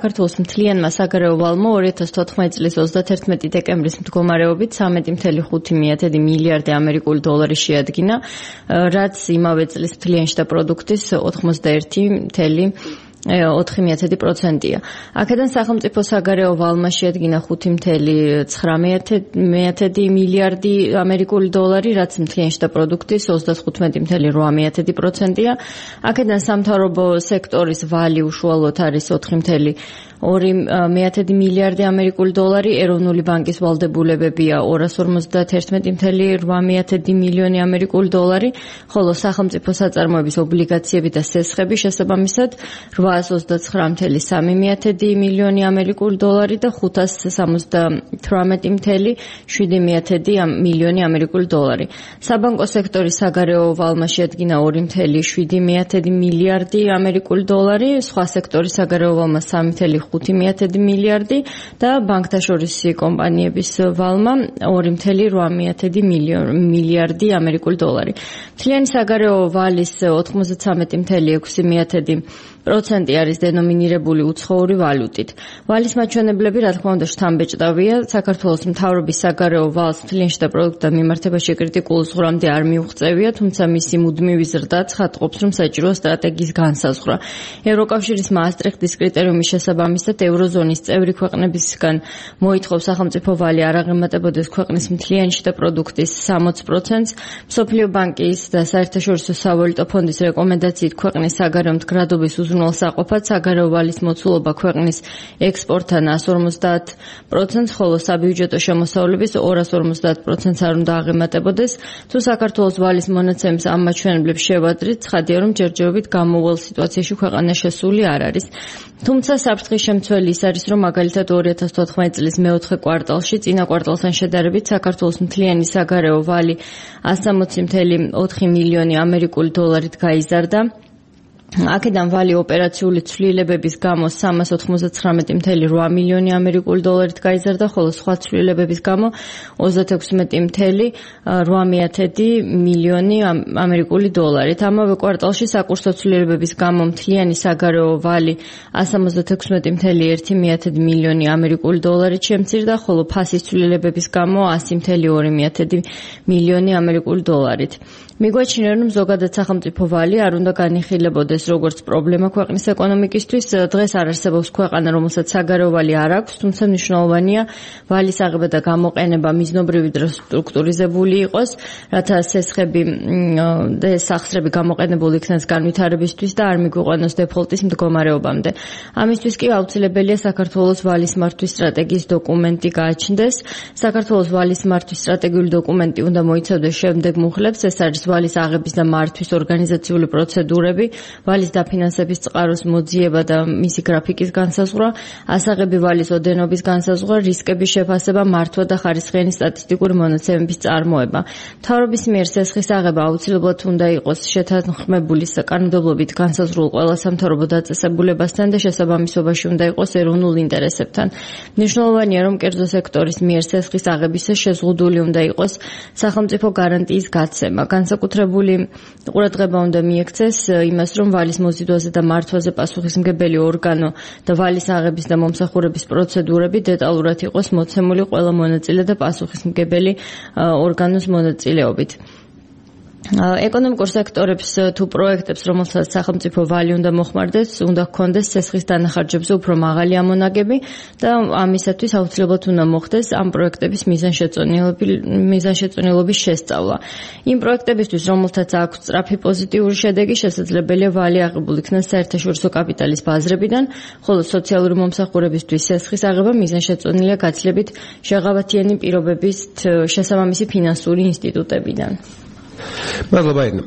საქართველოს მთლიანმა საგარეო ვალმა 2014 წლის 31 დეკემბრის მდგომარეობით 13.5 მილიარდი ამერიკული დოლარი შეადგინა, რაც იმავე წლის მთლიანი შტა პროდუქტის 81.4%-ია. აქედან სახელმწიფო საგარეო ვალმა შეადგინა 5.9 მილიარდი ამერიკული დოლარი, რაც მთლიანი შტა პროდუქტის 35.8%-ია. აქედან სამთავრობო სექტორის ვალი უშუალოდ არის 4.2 მილიარდი ამერიკული დოლარი, ეროვნული ბანკის ვალდებულებებია 251.8 მილიონი ამერიკული დოლარი, ხოლო სახელმწიფო საწარმოების ობლიგაციები და სესხები შესაბამისად 829.3 მილიონი ამერიკული დოლარი და 578.7 მილიონი ამერიკული დოლარი. საბანკო სექტორის საგარეო ვალმა შეადგინა 2.7 მილიარდი ამერიკული დოლარი, სხვა სექტორის საგარეო ვალმა 3.5 მილიარდი და ბანკთაშორისი კომპანიების ვალმა 2.8 მილიარდი ამერიკული დოლარი. მთლიანი საგარეო ვალის 93.6% არის დენომინირებული უცხოური ვალუტით. ვალის მაჩვენებლები, რა თქმა უნდა, შთამბეჭდავია. საქართველოს მთავრობის საგარეო ვალს მთლიანი შტა პროდუქტთან მიმართებაში კრიტიკულ ზღვრამდე არ მიუღწევია, თუმცა მისი მუდმივი ზრდა ცხადყოფს, რომ საჭიროა სტრატეგიის განსაზღვრა. ევროკავშირის მაასტრიხტის კრიტერიუმის შესაბამისად ევროზონის წევრი ქვეყნებისგან მოითხოვს სახელმწიფო ვალი არ აღემატებოდეს ქვეყნის მთლიანი შტა პროდუქტის 60%-ს. მსოფლიო ბანკის და საერთაშორისო სავალუტო ფონდის რეკომენდაციით ქვეყნის საგარეო მდგრადობის უზრუნველსაყოფად საგარეო ვალის მოცულობა ქვეყნის ექსპორტთან 150%, ხოლო საბიუჯეტო შემოსავლების 250%-ს არ უნდა აღემატებოდეს. თუ საქართველოს ვალის მონაცემის ამ მაჩვენებლებს შევადრით, ცხადია, რომ ჯერჯერობით გამოუვალ სიტუაციაში ქვეყანა შესული არ არის. თუმცა საფრთხის შემცველი ის არის, რომ მაგალითად 2014 წლის მეოთხე კვარტალში წინა კვარტალთან შედარებით საქართველოს მთლიანი საგარეო ვალი 160.4 მილიონი ამერიკული დოლარით გაიზარდა. აქედან ვალი ოპერაციული ცვლილებების გამო 399.8 მილიონი ამერიკული დოლარით გაიზარდა, ხოლო სხვა ცვლილებების გამო 36.8 მილიონი ამერიკული დოლარით. ამავე კვარტალში საკურსო ცვლილებების გამო მთლიანი საგარეო ვალი 176.1 მილიონი ამერიკული დოლარით შემცირდა, ხოლო ფასის ცვლილებების გამო 100.2 მილიონი ამერიკული დოლარით. მიგვაჩნია, რომ ზოგადად სახელმწიფო ვალი არ უნდა განიხილებოდეს როგორც პრობლემა ქვეყნის ეკონომიკისთვის. დღეს არ არსებობს ქვეყანა, რომელსაც საგარეო ვალი არ აქვს, თუმცა მნიშვნელოვანია ვალის აღება და გამოყენება მიზნობრივი დროს სტრუქტურიზებული იყოს, რათა სესხები და სახსრები გამოყენებული იქნას განვითარებისთვის და არ მიგვიყვანოს დეფოლტის მდგომარეობამდე. ამისთვის კი აუცილებელია საქართველოს ვალის მართვის სტრატეგიის დოკუმენტი გააჩნდეს. საქართველოს ვალის მართვის სტრატეგიული დოკუმენტი უნდა მოიცავდეს შემდეგ მუხლებს, ეს არის ვალის აღების და მართვის ორგანიზაციული პროცედურები, ვალის დაფინანსების წყაროს მოძიება და მისი გრაფიკის განსაზღვრა, ასაღები ვალის ოდენობის განსაზღვრა, რისკების შეფასება, მართვა და ხარისხიანი სტატისტიკური მონაცემების წარმოება. მთავრობის მიერ სესხის აღება აუცილებლად უნდა იყოს შეთანხმებული საკანონმდებლობით განსაზღვრულ ყველა სამთავრობო დაწესებულებასთან და შესაბამისობაში უნდა იყოს ეროვნულ ინტერესებთან. მნიშვნელოვანია, რომ კერძო სექტორის მიერ სესხის აღებისას შეზღუდული უნდა იყოს სახელმწიფო გარანტიის გაცემა. განსაკუთრებული ყურადღება უნდა მიექცეს იმას, რომ ვალის მოზიდვაზე და მართვაზე პასუხისმგებელი ორგანო და ვალის აღების და მომსახურების პროცედურები დეტალურად იყოს მოცემული ყველა მონაწილე და პასუხისმგებელი ორგანოს მონაწილეობით. ეკონომიკურ სექტორებს თუ პროექტებს, რომელსაც სახელმწიფო ვალი უნდა მოხმარდეს, უნდა ჰქონდეს სესხის დანახარჯებზე უფრო მაღალი ამონაგები და ამისათვის აუცილებლად უნდა მოხდეს ამ პროექტების მიზანშეწონილობის შესწავლა. იმ პროექტებისთვის, რომელთაც აქვს სწრაფი პოზიტიური შედეგი, შესაძლებელია ვალი აღებულ იქნას საერთაშორისო კაპიტალის ბაზრებიდან, ხოლო სოციალური მომსახურებისთვის სესხის აღება მიზანშეწონილია გაცილებით შეღავათიანი პირობებით შესაბამისი ფინანსური ინსტიტუტებიდან. მადლობა.